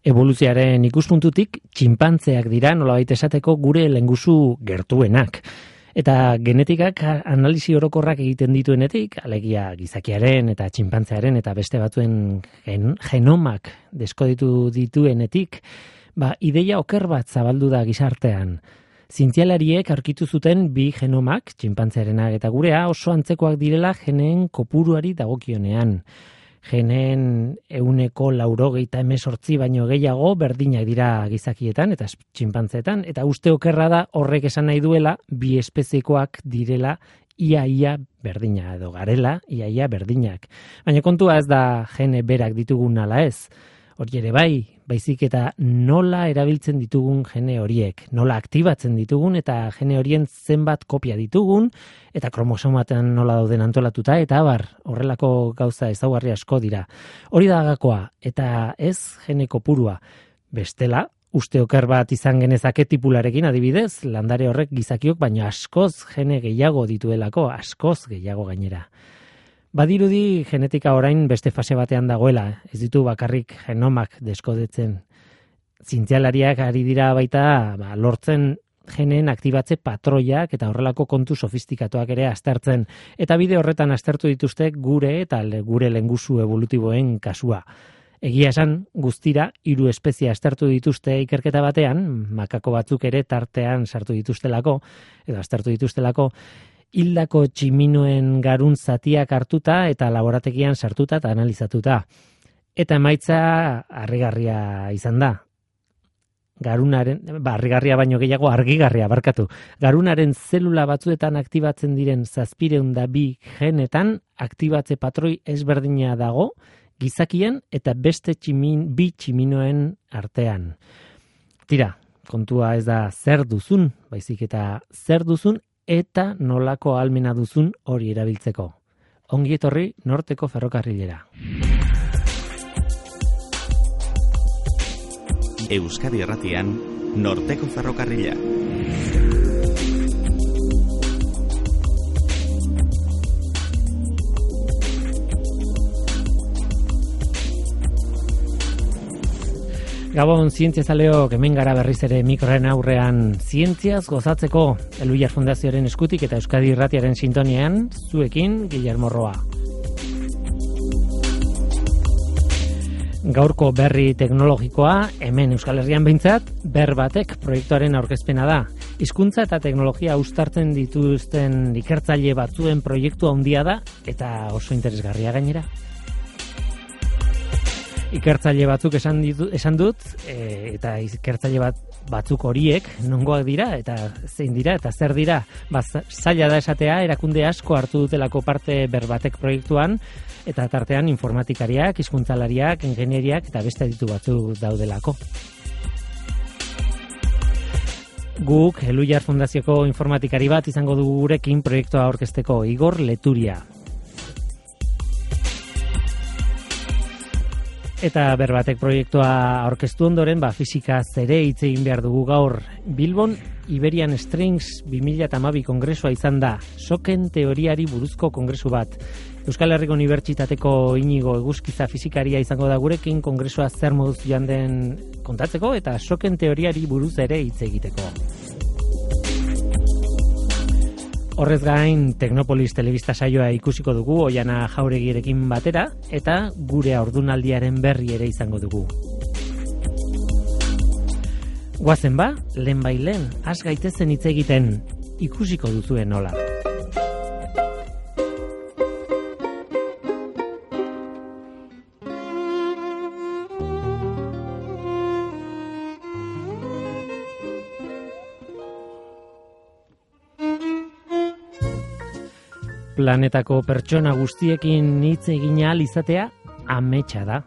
Evoluzioaren ikuspuntutik, txinpantzeak dira nolabait esateko gure lehengusu gertuenak. Eta genetikak analisi orokorrak egiten dituenetik, alegia gizakiaren eta txinpantzearen eta beste batzuen genomak deskoditu dituenetik, ideia oker bat zabaldu da gizartean. Zientzialariek aurkitu zuten bi genomak, txinpantzearenak eta gurea, oso antzekoak direla geneen kopuruari dagokionean. Genen 198 baino gehiago berdinak dira gizakietan eta txinpantzeetan, eta uste okerra da horrek esan nahi duela bi espeziekoak direla ia berdina edo garela ia berdinak. Baina kontua ez da gene berak ditugun ala ez. Hori ere baizik eta nola erabiltzen ditugun gene horiek, nola aktibatzen ditugun eta gene horien zenbat kopia ditugun, eta kromosomatan nola dauden antolatuta, eta horrelako gauza ezaugarri asko dira. Hori da gakoa, eta ez gene kopurua. Bestela, uste oker bat izan genezake tipularekin adibidez, landare horrek gizakiok, baina askoz gene gehiago dituelako, askoz gehiago gainera. Badirudi genetika orain beste fase batean dagoela, ez ditu bakarrik genomak deskodetzen. Zientzialariak ari dira baita lortzen geneen aktibatze patroiak eta horrelako kontu sofistikatuak ere aztertzen. Eta bide horretan aztertu dituzte gure eta gure lehengusu evolutiboen kasua. Egia esan guztira 3 espezie aztertu dituzte ikerketa batean, makako batzuk ere tartean sartu dituztelako, edo aztertu dituztelako, hildako tximinoen garun zatiak hartuta eta laborategian sartuta eta analizatuta. Eta emaitza harrigarria izan da. Harrigarria baino gehiago argigarria barkatu. Garunaren zelula batzuetan aktibatzen diren 702 genetan aktibatze patroi ezberdina dago gizakien eta beste bi tximinoen artean. Tira, kontua ez da zer duzun, baizik eta zer duzun eta nolako ahalmena duzun hori erabiltzeko. Ongi etorri Norteko Ferrokarrilera. Euskadi Irratian, Norteko Ferrokarrila. Gabon, zientziazaleok, hemen gara berriz ere mikroren aurrean zientziaz gozatzeko Elhuyar Fundazioaren eskutik eta Euskadi Irratiaren sintonian, zuekin Guillermo Roa. Gaurko berri teknologikoa, hemen Euskal Herrian behintzat, Berbatek proiektuaren aurkezpena da. Hizkuntza eta teknologia uztartzen dituzten ikertzaile batzuen proiektu handia da eta oso interesgarria gainera. Ikertzaile batzuk esan dut, eta ikertzaile batzuk horiek nongoak dira, eta zein dira, eta zer dira. Zaila da esatea, erakunde asko hartu dutelako parte Berbatek proiektuan, eta tartean informatikariak, hizkuntzalariak, ingenieriak, eta beste aditu batzuk daudelako. Guk, Elhuyar Fundazioko informatikari bat izango dugu gurekin proiektua aurkezteko, Igor Leturia. Eta Berbatek proiektua aurkeztu ondoren, fisikaz ere hitz egin behar dugu gaur. Bilbon Iberian Strings 2012 kongresua izan da, soken teoriari buruzko kongresu bat. Euskal Herriko Unibertsitateko Inigo Eguzkiza fisikaria izango da gurekin kongresua zer moduz joan den kontatzeko eta soken teoriari buruz ere hitz egiteko. Horrez gain, Teknopolis telebista saioa ikusiko dugu Oiana Jauregirekin batera eta gure haurdunaldiaren berri ere izango dugu. Goazen lehen, has gaitezen hitz egiten, ikusiko duzuen nola. Planetako pertsona guztiekin hitz egin ahal izatea ametsa da.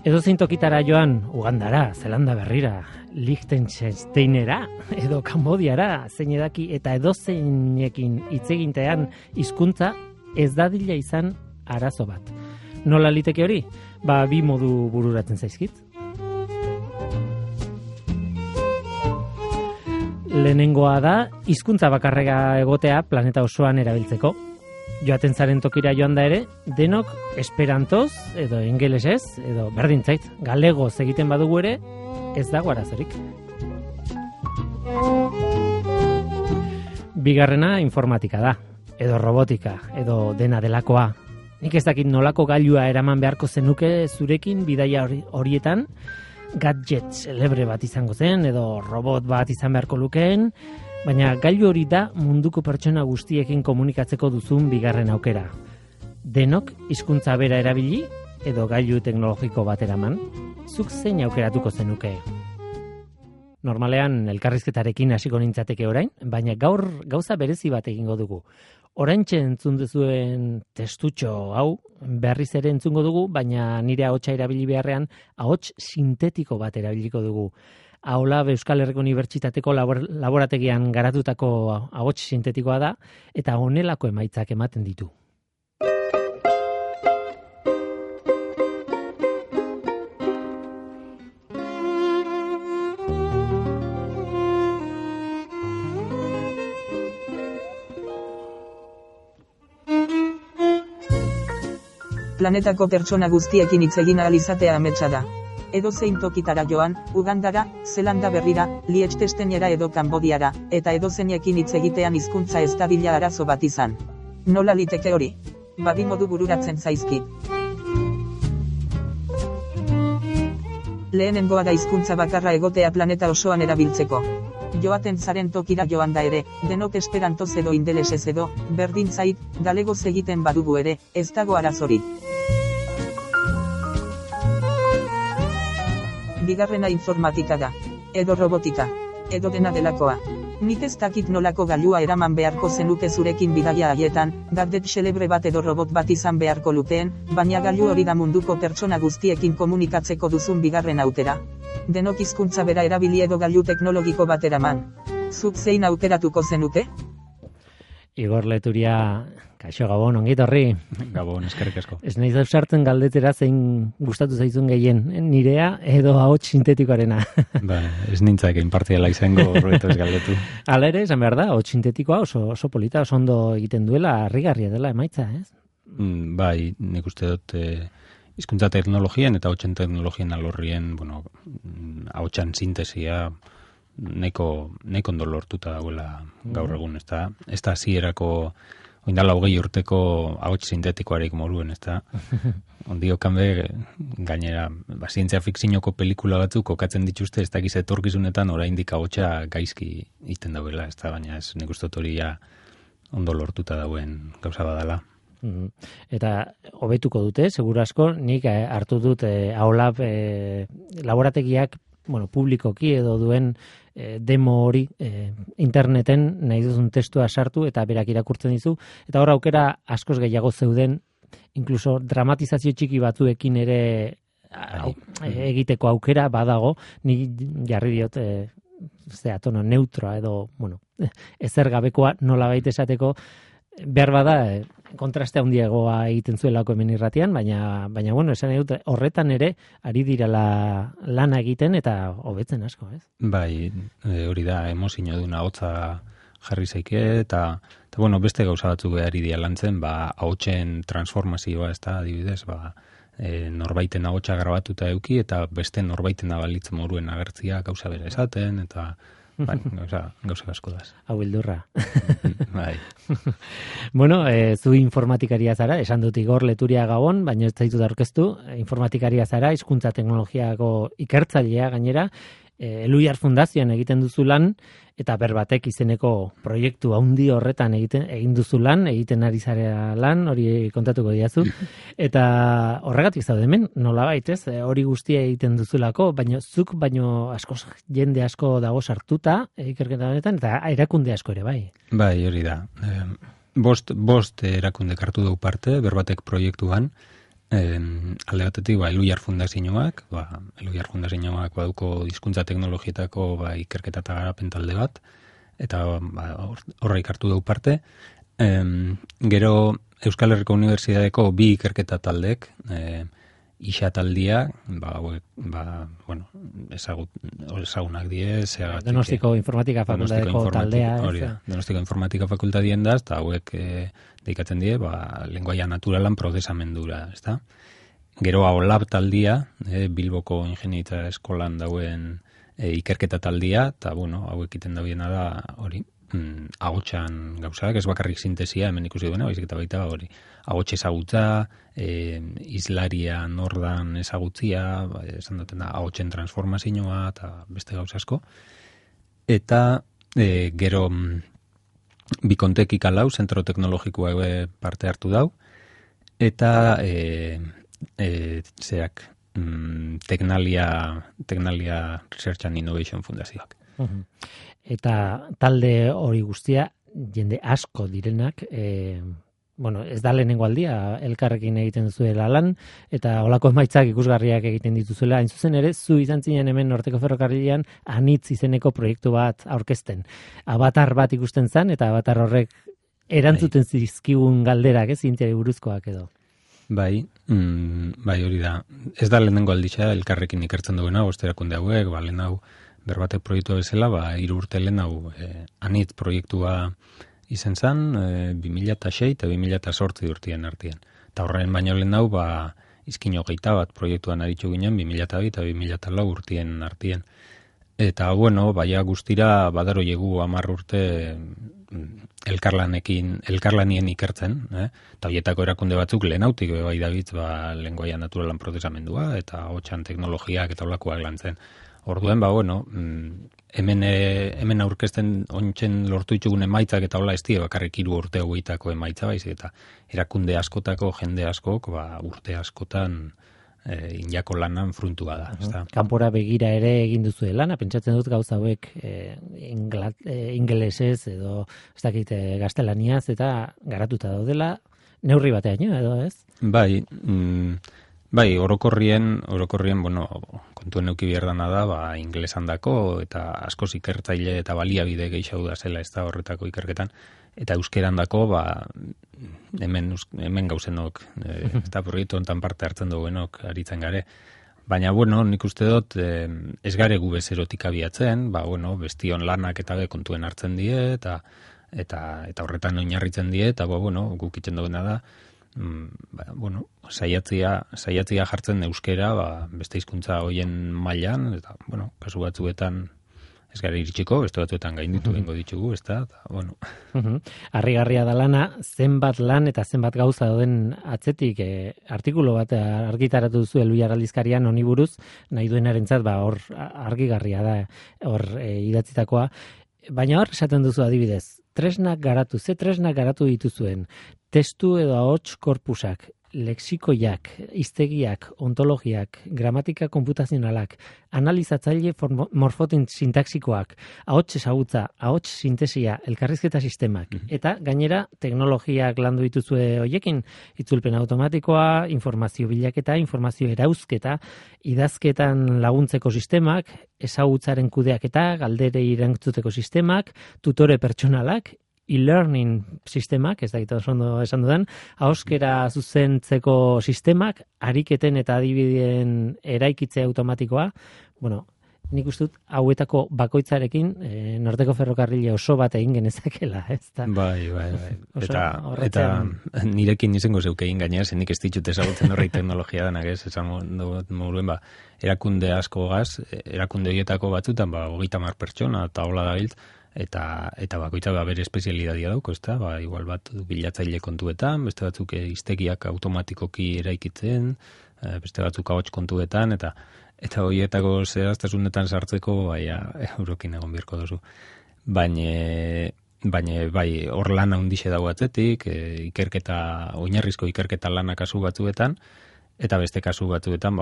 Edozein tokitara joan, Ugandara, Zelanda Berrira, Liechtensteinera edo Kambodiara, zein edaki eta edozeinekin hitz egintean hizkuntza ez dadila izan arazo bat. Nola liteke hori? 2 modu bururatzen zaizkit. Lehenengoa da hizkuntza bakarrega egotea planeta osoan erabiltzeko. Joaten zaren tokira joan da ere, denok esperantoz, edo ingelesez, edo berdintzait, galegoz egiten badugu ere, ez dago arazorik. Bigarrena informatika da, edo robotika, edo dena delakoa. Nik ez dakit nolako gailua eraman beharko zenuke zurekin bidaia horietan, gadget celebre bat izango zen, edo robot bat izan beharko lukeen, baina gailu hori da munduko pertsona guztiekin komunikatzeko duzun bigarren aukera. Denok hizkuntza bera erabili edo gailu teknologiko bat eraman, zuk zein aukeratuko zenuke? Normalean elkarrizketarekin hasiko nintzateke orain, baina gaur gauza berezi bat egingo dugu. Oraintxe entzun duzuen testutxo hau berriz ere entzungo dugu, baina nire ahotsa erabili beharrean ahots sintetiko bat erabiliko dugu. Aulab Euskal Herriko Unibertsitateko laborategian garatutako ahots sintetikoa da, eta honelako emaitzak ematen ditu. Planetako pertsona guztiekin hitz egin ahal izatea ametsa da. Edozein tokitara joan, Ugandara, Zelanda Berrira, Liechtensteinera edo Kanbodiara, eta edozeinekin hitz egitean hizkuntza ez dabila arazo bat izan. Nola liteke hori? Badi modu bururatzen zaizkit. Lehenengoa da hizkuntza bakarra egotea planeta osoan erabiltzeko. Joaten zaren tokira joan da ere, denok esperantoz edo ingelesez edo, berdin zait, galegoz egiten badugu ere, ez dago arazorik. Bigarrena informatika da, edo robotika, edo dena delakoa. Nik ez dakit nolako gailua eraman beharko zenuke zurekin bidaia haietan, gadget celebre bat edo robot bat izan beharko lukeen, baina gailu hori da munduko pertsona guztiekin komunikatzeko duzun bigarren aukera. Denok hizkuntza bera erabili edo gailu teknologiko bat eraman. Zuk zein aukeratuko zenuke? Igor Leturia, kaixo Gabon, ongi etorri. Gabon, eskerrik asko. Ez nahi zauzartzen galdetera zein gustatu zaizun gehien, nirea edo ahots sintetikoarena. Ba, ez nintzak inpartiala izango horretu ez galdetu. Hala ere, esan behar da, ahots sintetikoa oso polita, oso ondo egiten duela, harrigarria dela emaitza, ez? Bai, nik uste dut hizkuntza teknologien eta ahotsen teknologien alorrien, ahotsan sintesia neko ondo lortuta dagoela gaur egun, ez da hasierako oindala 20 urteko ahots sintetikoarik moruen, ez da. Ondio kanbe, gainera, zientzia fikzioko pelikula batzuk kokatzen dituzte, ez dakiz etorkizunetan oraindik ahotsa gaizki iten dauela, ez da, baina ez nik uste dut hori ondo lortuta dauen gauza badala. Eta hobetuko dute, seguru asko, nik hartu dut Aulab laborategiak publikoki edo duen demo hori interneten nahi duzun testua sartu eta berak irakurtzen dizu, eta hor aukera askoz gehiago zeuden, inkluso dramatizazio txiki batzuekin ere egiteko aukera badago, nik jarri diot tono neutroa edo ezer gabekoa nolabait esateko, behar bada kontraste handiagoa egiten zuelako hemen irratian, baina esan dut horretan ere ari direla lana egiten eta hobetzen asko, ez? Bai, hori da, emozio duna hotza jarri zaike eta beste gauza batzuk ari dira lantzen, ahotsen transformazioa, ez da, adibidez, norbaiten ahotsa grabatuta eduki eta beste norbaiten abalitz moruen agertzia gauza bera esaten, eta gauza asko daz. Hau bildurra. Bai. Zu informatikaria zara, esan dut Igor Leturia Gabon, baina ez zaitut aurkeztu, informatikaria zara, hizkuntza teknologiako ikertzailea gainera, Eluiar Fundazioan egiten duzu lan, eta Berbatek izeneko proiektu handi horretan egin duzu lan, egiten ari zarea lan, hori kontatuko diazu, eta horregatik zaude hemen, nolabait, ez? Hori guztia egiten duzulako, zuk jende asko dago sartuta ikerketa honetan, eta erakunde asko ere bai. Bai, hori da. Bost erakunde hartu dugu parte, Berbatek proiektuan, alde batetik, Eluiar Fundazioak, Eluiar Fundazioak baduko hizkuntza teknologietako ikerketa eta garapen talde bat, eta horreik hartu dugu parte. Gero Euskal Herriko Unibertsitateko 2 ikerketa taldek, isa taldia, ezagunak die, zeagatik. Donostiko informatika fakultateko taldea. Hori da, Donostiko informatika fakultatien da, eta hauek deikatzen die, lenguaia naturalan prozesamendura, ezta? Gero OLAB taldia, Bilboko Ingeniaritza Eskolan dauen ikerketa taldia, eta hauek iten dabiena da hori, ahotsan gauzak, ez bakarrik sintesia, hemen ikusi duena, baizik eta baita hori. Ahots ezagutza, islaria nordan ezagutzia, esan duten da, ahotsen transformazioa, eta beste gauza asko. Eta gero Bikontek ikalau, zentro teknologikoa parte hartu dau, eta Tecnalia Research and Innovation Fundazioak. Eta talde hori guztia, jende asko direnak, ez da lehenengo aldia, elkarrekin egiten duzuela lan, eta holako emaitzak ikusgarriak egiten dituzuela, hain zuzen ere, zu izan zinen hemen Norteko Ferrokarrilean anitz izeneko proiektu bat aurkezten. Avatar bat ikusten zan, eta avatar horrek erantzuten zizkigun galderak, zientziari buruzkoak edo. Bai, hori da. Ez da lehenengo alditza elkarrekin ikertzen duena, osterakunde hauek, lehen hau berbatek proiektua bezala, 3 urte lehen hau anitz proiektua izen zan, 2006 eta 2008 urtien artean. Eta horren baino lehen hau, izkin 21 proiektuan aritzu ginen, 2002 eta 2004 urtien artean. Eta, baia guztira badaro jegu 10 urte elkarlanien ikertzen, eta horietako erakunde batzuk lehenautik bai dabitz lenguaia naturalan prozesamendua, eta hotxan teknologiak eta olakoak lantzen. Orduen, hemen aurkezten ontzen lortu ditugun emaitzak eta hola ez die bakarrik 3 urte hauetako emaitza baizik eta erakunde askotako jende askok urte askotan injako lanan fruntua da. Kanpora begira ere egin duzu lana, pentsatzen dut gauza hauek ingelesez edo ez dakit gaztelaniaz eta garatuta daudela neurri batean edo ez? Bai, orokorrien, kontuen neuki bierdana da, inglesan dako, eta askoz ikertzaile eta baliabide gehiago da zela ez da horretako ikerketan, eta euskeran dako, hemen gauzenok, eta proiektu hontan parte hartzen duguenok aritzen gare. Baina, nik uste dut, ez gare gu bezerotik abiatzen, bestion lanak eta kontuen hartzen die, eta horretan oinarritzen die, eta guk itzen duena da, saiatzia jartzen euskera, beste hizkuntza hoien mailan, eta, kasu batzuetan ez gara iritsiko, beste batzuetan gainditu bengo ditugu, ez da, Harrigarria da lana, zenbat lan eta zenbat gauza dauden atzetik, artikulu bat argitaratu duzu Elbiar aldizkarian honi buruz, nahi duenarentzat, hor argigarria da, hor idatzitakoa, baina hor esaten duzu adibidez, tresnak garatu dituzuen, testu edo ahots korpusak, lexikoiak, hiztegiak, ontologiak, gramatika konputazionalak, analizatzaile morfotin sintaxikoak, ahots ezagutza, ahots sintesia, elkarrizketa sistemak, eta gainera teknologiak landu dituzue hoiekin, itzulpen automatikoa, informazio bilaketa, informazio erauzketa, idazketan laguntzeko sistemak, ezagutzaren kudeaketa, galderei erantzuteko sistemak, tutore pertsonalak, e-learning sistemak, ez dakit ondo esan dudan, ahoskera zuzentzeko sistemak, ariketen eta adibideen eraikitze automatikoa, nik uste dut hauetako bakoitzarekin Norteko Ferrokarrile oso bat egin genezakela, ez da? Bai. Eta nirekin izango zeuke egin gainera, zenik ez ditut ezagutzen horrei teknologia denak, ez? Esan moduen, erakunde asko gaz, erakunde horietako batzutan, 30 pertsona, eta hola da biltz, eta bakoitza bere espezialidadia dauko, ez da? Igual bat bilatzaile kontuetan, beste batzuk hiztegiak automatikoki eraikitzen, beste batzuk ahots kontuetan, eta horietako zehaztasunetan sartzeko, eurokin egon birko duzu. Baina hor lan handixe dago atzetik, oinarrizko ikerketa lanak kasu batzuetan, eta beste kasu batzuetan,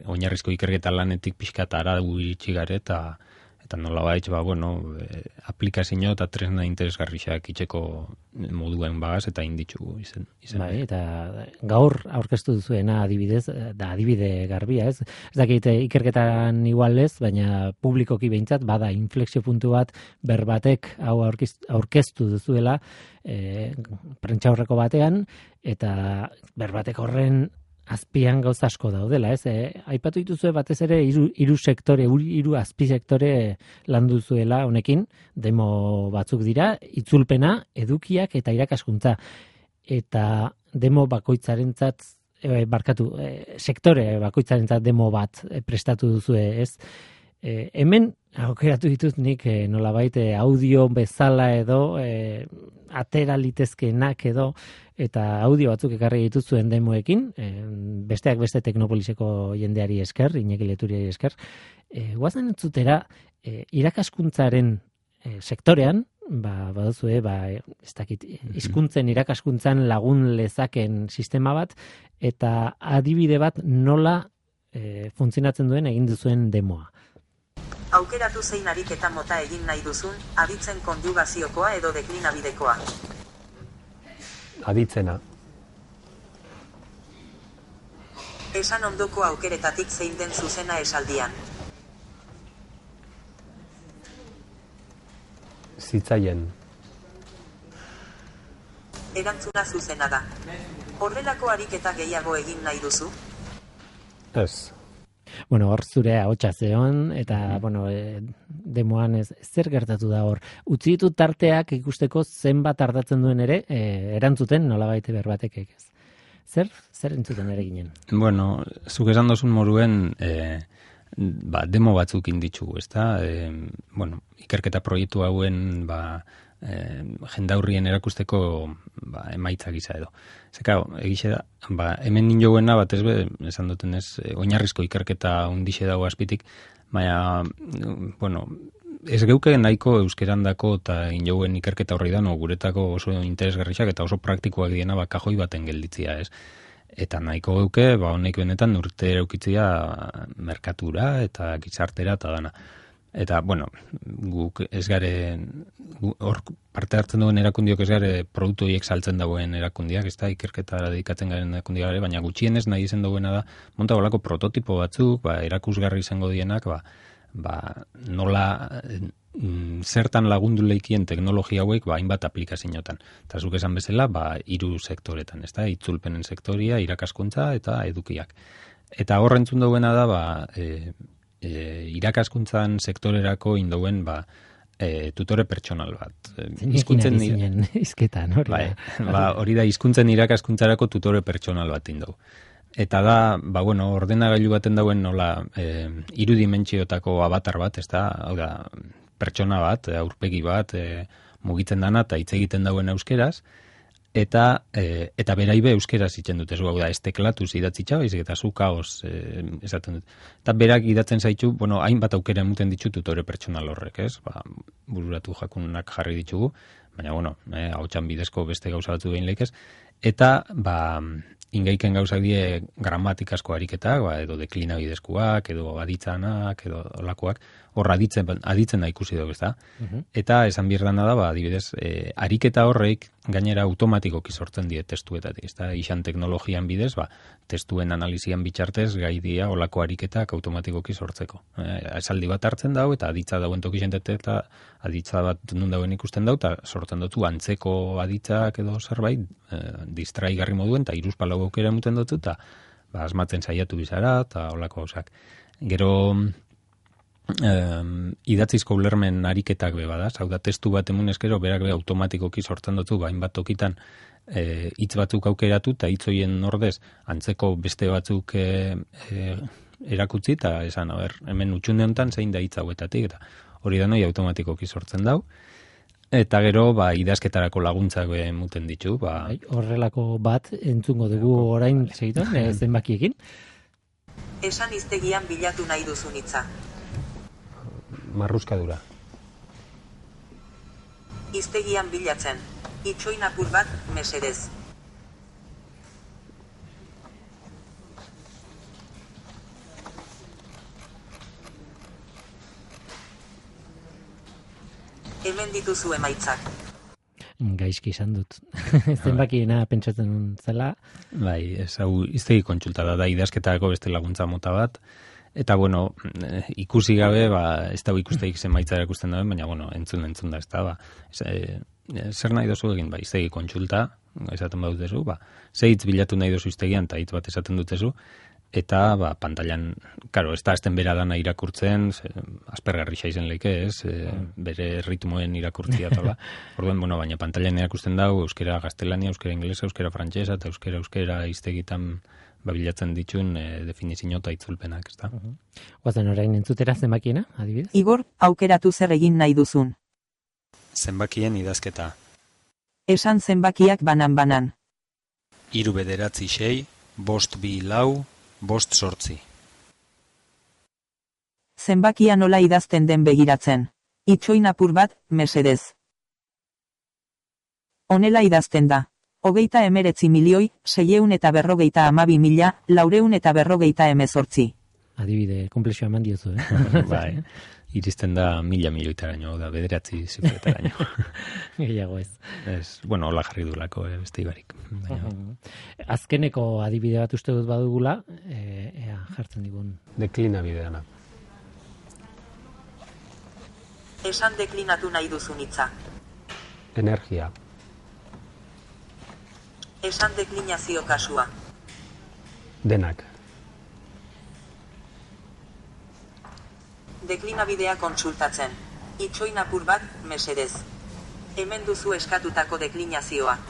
oinarrizko ikerketa lanetik pixkat aragu iritsi gare, eta nola baitz, aplikazio eta tresna interesgarriak itxeko moduen bagaz eta inditzugu izen. Eta gaur aurkeztu duzuena adibidez, da adibide garbia, ez? Ez dakit ikerketan igual ez, baina publikoki behintzat, bada inflexio puntu bat berbatek hau aurkeztu duzuela prentsaurreko batean, eta berbatek horren azpian gauza asko daudela, ez? Aipatu dituzue batez ere hiru sektore, hiru azpisektore landu zuela honekin, demo batzuk dira, itzulpena, edukiak eta irakaskuntza. Eta demo bakoitzarentzat sektore bakoitzarentzat demo bat prestatu duzue, ez? Hemen aukeratu ditut nik nolabait audio bezala edo atera litezkeenak edo eta audio batzuk ekarri dituzuen demoekin, besteak beste Teknopoliseko jendeari esker, Iñaki Leturiari esker, guazen entzutera irakaskuntzaren sektorean, baduzue, ez dakit, hizkuntzen irakaskuntzan lagun lezaken sistema bat, eta adibide bat nola funtzionatzen duen egin duzuen demoa. Aukeratu zein ariketa mota egin nahi duzun, aditzen konjugaziokoa edo deklinabidekoa. Aditzena. Esan ondoko aukeretatik zein den zuzena esaldian. Zitzaien. Erantzuna zuzena da. Horrelako ariketa gehiago egin nahi duzu? Ez. Bueno, hor zure ahotsa zeon, eta, demoan zer gertatu da hor. Utzi ditut tarteak ikusteko zenbat ardatzen duen ere, erantzuten nolabait berbatek ez. Zer entzuten ere ginen? Bueno, zuk esan dozun moruen, demo batzuk inditzugu, ezta? Ikerketa proiektu hauen, jendaurrien erakusteko emaitza gisa edo. Zeka, egixe da, hemen ninjoguena batez esan duten ez, oinarrizko ikerketa undixe dago azpitik, baina, ez geuke nahiko euskerandako eta injouen ikerketa horri da, guretako oso interesgarriak eta oso praktikoak diena kajoi baten gelditzia, ez? Eta nahiko geuke, honek benetan urte eraukitzia merkatura eta gizartera eta dana. Eta, guk ez gare, hor parte hartzen duen erakundiok ez gare produktu horiek saltzen dagoen erakundiak, ez da, ikerketara dedikatzen garen erakundiak, baina gutxienez nahi izen dagoena da, monta golako prototipo batzuk, erakusgarri izango dienak, nola zertan lagundu leikien teknologia hauek, hainbat aplikazioetan. Eta zuk esan bezala, 3 sektoretan, ez da, itzulpenen sektoria, irakaskuntza eta edukiak. Eta horrentzun dagoena da, irakaskuntzan sektorerako indoen tutore pertsonal bat. Hizkuntzen hizketan, hori da. Hori da, hizkuntzen irakaskuntzarako tutore pertsonal bat indau. Eta da, ordenagailu baten dauen nola 3 dimentsiotako avatar bat, ez da, hau da, pertsona bat, aurpegi bat, mugitzen dana eta hitz egiten dauen euskeraz, eta beraibe euskeraz itzen dut, ez da, ez teklatuz idatzitza, baizik eta zu kaos esaten dut. Eta berak idatzen zaitu, hainbat aukera emuten ditu tutore pertsonal horrek, ez? Bururatu jakunak jarri ditugu, baina, ahotsan bidezko beste gauza batzu behin leikez, eta, ingaiken gauzak die gramatikasko ariketak, edo deklinabidezkoak, edo aditzanak, edo olakoak, hor aditzen da ikusi dugu, ez da? Eta esan bierdana da, adibidez, ariketa horreik gainera automatikoki sortzen die testuetatik, ez da? Ixan teknologian bidez, testuen analizian bitxartez, gai dia olako ariketak automatikoki sortzeko. Esaldi bat hartzen dau, eta aditza dauen tokixentet, eta aditza bat nun dauen ikusten dau, eta sortzen dutu antzeko aditzak edo zerbait, distraigarri moduen, eta 3-4 aukera emuten dutu, eta asmatzen saiatu bizara, eta olako hausak. Gero, idatzizko ulermen ariketak bada, hau da, testu bat emunez gero, berak automatikoki sortzen dutu, hainbat tokitan hitz batzuk aukeratu, eta hitz horien ordez, antzeko beste batzuk erakutzi, eta esan, hemen utxunde honetan zein da hitz hauetatik, eta hori da noi automatikoki sortzen dau. Eta gero, idazketarako laguntzak emuten ditu. Horrelako bat entzungo dugu orain segitan, zenbakiekin. Esan hiztegian bilatu nahi duzun hitza. Marruskadura. Hiztegian bilatzen. Itxoin apur bat, mesedez. Hemen dituzu emaitzak. Gaizki izan dut. Zenbakiena pentsatzen zela. Ez hau hiztegi kontsulta da idazketarako beste laguntza mota bat. Eta, ikusi gabe, ez da ikusteik zenbaitza erakusten dauen, baina, entzun da, ez da, zer nahi dozu egin, hiztegi kontsulta, esaten badutezu, ze hitz bilatu nahi dozu hiztegian, eta hitz bat esaten dutezu, eta pantailan, karo, ez da azten bera dana irakurtzen, aspergarri xaizen leike, ez, bere ritmoen irakurtzia tola. Orduan, baina pantailan irakusten dago, euskera gaztelania, euskera inglesa, euskera frantsesa, eta euskera hiztegitan bilatzen dituen definizio eta itzulpenak, ez da. Guazen orain entzutera zenbakiena, adibidez? Igor, aukeratu zer egin nahi duzun. Zenbakien idazketa. Esan zenbakiak banan-banan. 3 9 6 5 2 4 5 8. Zenbakia nola idazten den begiratzen. Itxoin apur bat, mesedez. Honela idazten da. 39.642.418. Adibide, komplexua eman diozu, Bai, iristen da 1.000 milioitaraino, da 9 zifretaraino. Gehiago ez. Hola jarri dulako, beste ibarik. Azkeneko adibide bat uste dut badugula, ea jartzen digun. Deklina bideana. Esan deklinatu nahi duzun hitza. Energia. Esan deklinazio kasua. Denak. Deklinabidea kontsultatzen. Itxoin apur bat, mesedez. Hemen duzu eskatutako deklinazioa.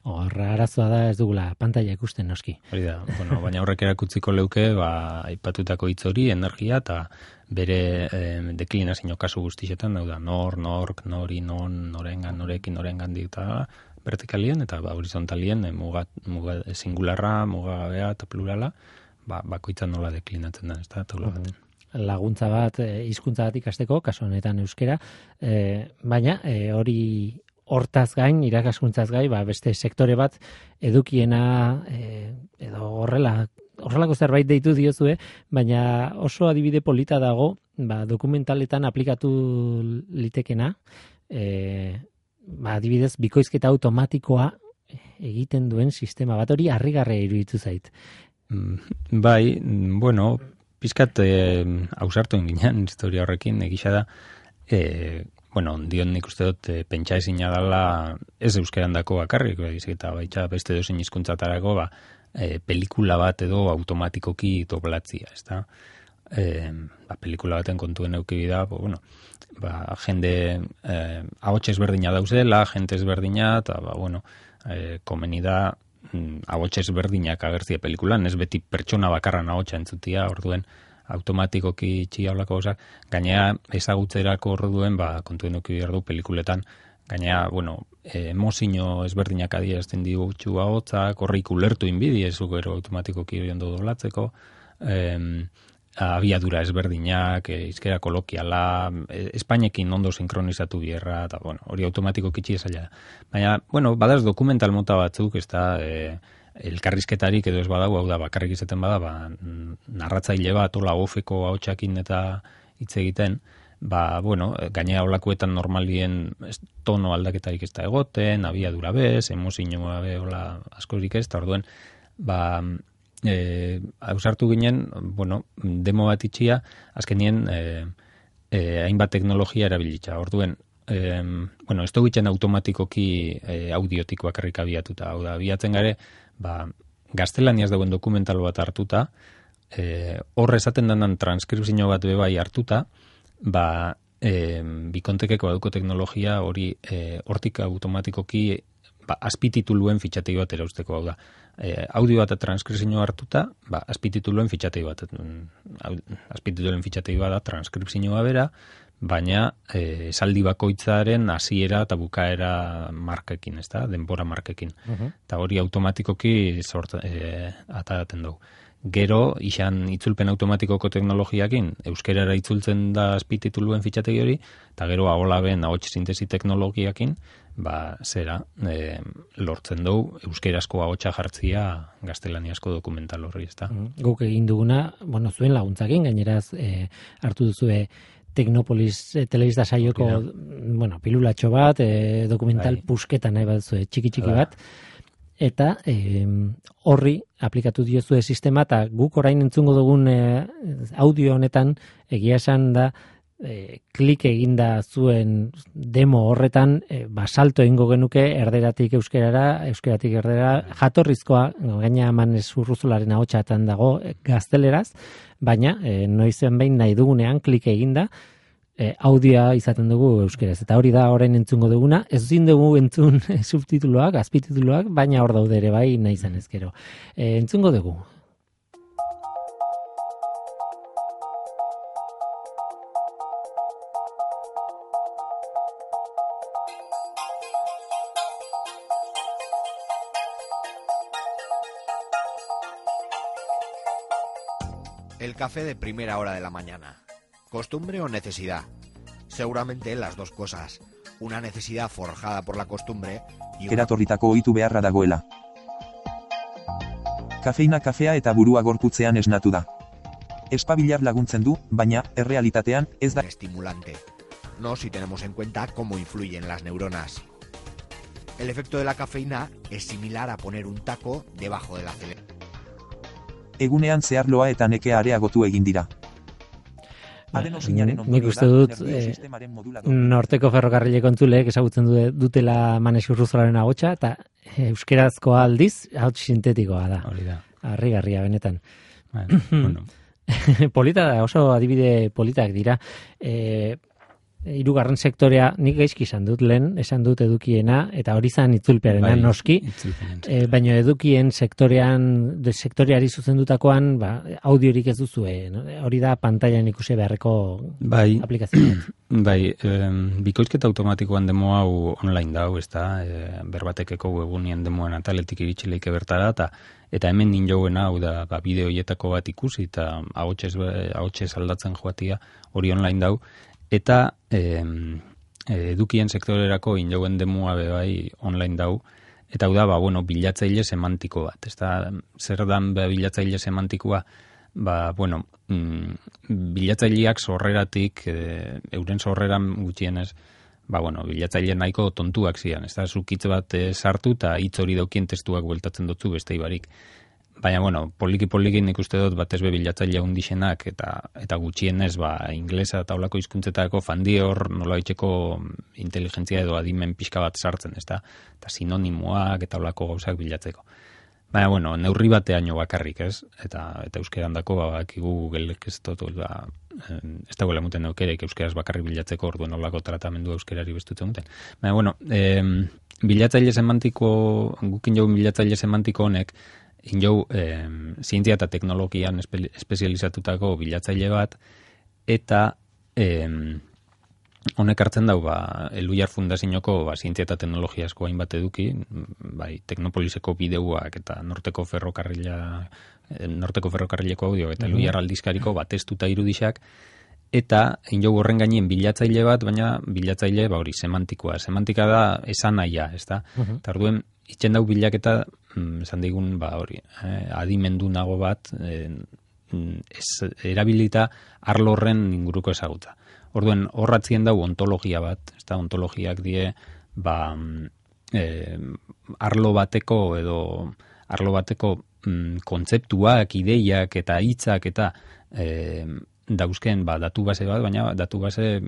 Arazoa da ez dugula pantaila ikusten noski. Hori da, baina horrek erakutziko leuke, aipatutako hitz hori, energia, eta bere deklinazio kasu guztietan, da, nork, nori, non, norengan, norekin, norengan eta vertikalien, eta horizontalien, muga singularra, muga gabea eta plurala, bakoitzan nola deklinatzen da, ez da, taula baten. Laguntza bat, hizkuntza bat ikasteko, kasu honetan euskera, baina hori hortaz gain, irakaskuntzaz gain, beste sektore bat edukiena edo horrelako zerbait deitu diozue, baina oso adibide polita dago, dokumentaletan aplikatu litekena, adibidez, bikoizketa automatikoa egiten duen sistema bat, hori harrigarria iruditu zait. Bai, pizkat ausartu inginen historia horrekin, egisa da, dion nik uste dut pentsa ezina dela ez euskeran dako bakarrik, eta baita beste dozen hizkuntzatarako pelikula bat edo automatikoki doblatzia, ez da? Pelikula baten kontuen eukibi da, jende ahots ezberdina dauzela, jente ezberdina, eta komeni da ahots ezberdinak agertzia pelikulan, ez beti pertsona bakarran ahotsa entzutia, orduen automatikoki txia olako gozak, gainea ezagutzerako orduen, kontuen eukibi behar du pelikuletan, gainea, emozio ezberdinak adierazten digutxu ahotzak, horrik ulertu inbidi, ez gero automatikoki ondo doblatzeko, abiadura ezberdinak, izkera kolokiala, Espainekin ondo sinkronizatu bierra, eta hori automatikoki txia. Baina, badaz dokumental mota batzuk, ez da, elkarrizketarik edo ez badago, hau da, bakarrik izaten bada, narratzaile bat, hola ofeko ahotsakin eta hitz egiten, gainera olakoetan normalien tono aldaketarik ez da egoten, abiadura bez, emozioa be, hola askorik ez, eta orduen, ausartu ginen, demo bat itxia, azkenien hainbat teknologia erabilitza. Orduen, ez dugu itxen automatikoki audiotik bakarrik abiatuta. Hau da, abiatzen gare, gaztelaniaz dagoen dokumental bat hartuta, horre esaten denan transkripzio bat bebai hartuta, bikontekeko baduko teknologia hori hortik automatikoki azpitituluen fitxategi bat erauzteko, hau da. Audio bat transkripzio hartuta, azpitituluen fitxategi bat. Azpitituluen fitxategi bat da transkripzioa bera, baina esaldi bakoitzaren hasiera eta bukaera markekin, ez da, denbora markekin. Eta hori automatikoki ataraten dugu. Gero, izan itzulpen automatikoko teknologiakin, euskerara itzultzen da azpitituluen fitxategi hori, eta gero aholaben ahots sintesi teknologiakin, lortzen dugu euskerazko ahotsa jartzia gaztelaniazko dokumental horri, ez da. Guk egin duguna, zuen laguntzakin, gaineraz hartu duzue Teknopolis telebista saioko, pilulatxo bat, dokumental pusketa nahi bat zuen, txiki bat, eta horri aplikatu diozue sistema, eta guk orain entzungo dugun audio honetan egia esan da klik eginda zuen demo horretan, salto egingo genuke erderatik euskerara, euskeratik erdera, jatorrizkoa, gaina Manes Urruzularen ahotsatan dago gazteleraz, baina noizen behin nahi dugunean klik eginda, audioa izaten dugu euskeraz. Eta hori da orain entzungo duguna, ez zin dugu entzun subtituluak, azpitituluak, baina hor daude ere bai nahi izan ezkero. Entzungo dugu. El café de primera hora de la mañana. ¿Costumbre o necesidad? Seguramente las dos cosas. Una necesidad forjada por la costumbre y Eratorritako ohitu beharra dagoela. Kafeina kafea eta burua gorputzean esnatu da. Espabilar laguntzen du, baina, errealitatean, ez da estimulante. No si tenemos en cuenta cómo influyen las neuronas. El efecto de la cafeína es similar a poner un taco debajo del acelerador. Egunean zeharloa eta nekea areagotu egin dira. Nik uste dut norteko ferrokarrileko entzuleek ezagutzen dutela Manes Urruzularen ahotsa, eta euskerazkoa aldiz, ahots sintetikoa da. Hori da. Harrigarria benetan. Bueno. Polita da, oso adibide politak dira. Hirugarren sektorea nik gaizki esan dut edukiena, eta hori zan itzulpearena noski, baina edukien sektoreari zuzendutakoan audiorik ez duzue, no? Hori da pantailan ikusi beharreko aplikazioa. Bai, bikoizketa automatikoan demo hau online dau, ez da, berbatekeko webunien demoen ataletik iritxileike bertara, eta hemen ninjouen hau da bideoietako bat ikusi, eta ahotsez aldatzen joatia hori online dau, eta edukien sektorerako injouen demua bai online dau, eta hau da, bilatzaile semantiko bat. Ez da, zer dan bilatzaile semantikoa, bilatzaileak sorreratik, euren sorreran gutxienez, bilatzaile nahiko tontuak zian. Ez da, zukitz bat sartu eta hitz hori daukien testuak bueltatzen dutzu beste ibarik. Baina, poliki nik uste dut batez bilatzailea hundixenak eta gutxienez, inglesa eta olako hizkuntzetako fandi hor nola itxeko inteligentzia edo adimen pixka bat sartzen, ez da? Eta sinonimoak eta olako gauzak bilatzeko. Baina, neurri bateaino bakarrik, ez? Eta euskeran dako, bakigu Googleek ez dagoela muten eukerek euskeraz bakarrik bilatzeko, orduen olako tratamendu euskerari bestutzen muten. Baina, bilatzaile semantiko, gukin jogun bilatzaile semantiko honek, injou zientzia eta teknologian espezializatutako bilatzaile bat, eta honek hartzen dau, Elhuyar Fundazioko zientzia eta teknologia asko hainbat eduki, Teknopoliseko bideuak eta Norteko ferrokarrileko audio eta Elhuyar aldizkariko testuta irudixak, eta injou horren gainien bilatzaile bat, baina bilatzaile hori semantikoa. Semantika da esan nahia, ez da? Eta orduen, itxen dau bilaketa, esan digun, adimendu nago bat, erabilita arlo horren inguruko ezagutza. Orduen, horratzien dau ontologia bat, ez da, ontologiak die, arlo bateko kontzeptuak, ideiak eta hitzak eta dauzken datu base bat, baina datu base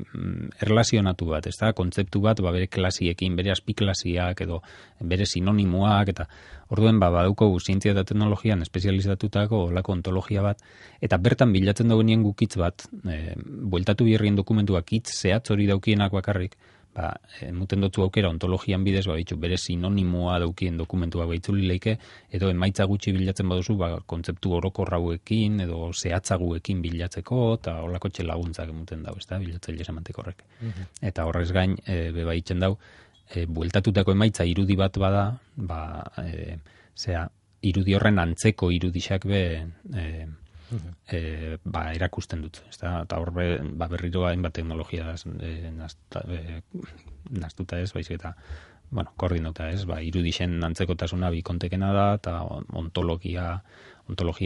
erlazionatu bat, ez da, kontzeptu bat bere klasiekin, bere azpiklasiak edo bere sinonimoak, eta orduen badauko zientzia eta teknologian espezializatutako olako ontologia bat, eta bertan bilatzen dagoenien gukitz bat, bueltatu birrien dokumentuak hitz zehatz hori daukienak bakarrik, emuten dutzu aukera ontologian bidez, bere sinonimoa daukien dokumentua baitzuli leike, edo emaitza gutxi bilatzen baduzu, kontzeptu orokorrauekin, edo zehatzaguekin bilatzeko, eta holako laguntzak emuten dau, ez da, bilatzaile semantiko horrek. Eta horrez gain, baitzen dau, bueltatutako emaitza irudi bat bada, irudi horren antzeko irudixak erakusten dut, eta hor berriro hainbat teknologia naztuta ez, baizik eta koordinota ez, irudixen antzekotasuna bikontekena da, eta ontologia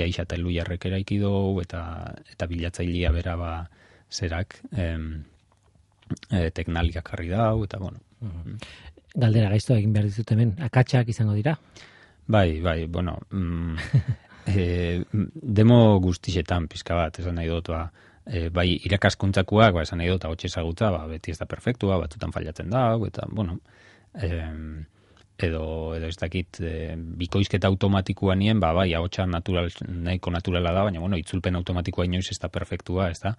isa eta Elhuyarrek eraiki dugu, eta bilatzailea bera zerak teknaliak jarri dau, eta Galdera gaizto egin behar dizut hemen, akatsak izango dira? Bai, demo guztixetan pizka bat, esan nahi dut, bai irakaskuntzakoak, esan nahi dut, ahots ezagutza, beti ez da perfektua, batzutan fallatzen da, eta, bueno, edo ez dakit bikoizketa automatikoa nien, bai, ahotsa nahiko naturala da, baina, bueno, itzulpen automatikoa inoiz ez da perfektua, ez da.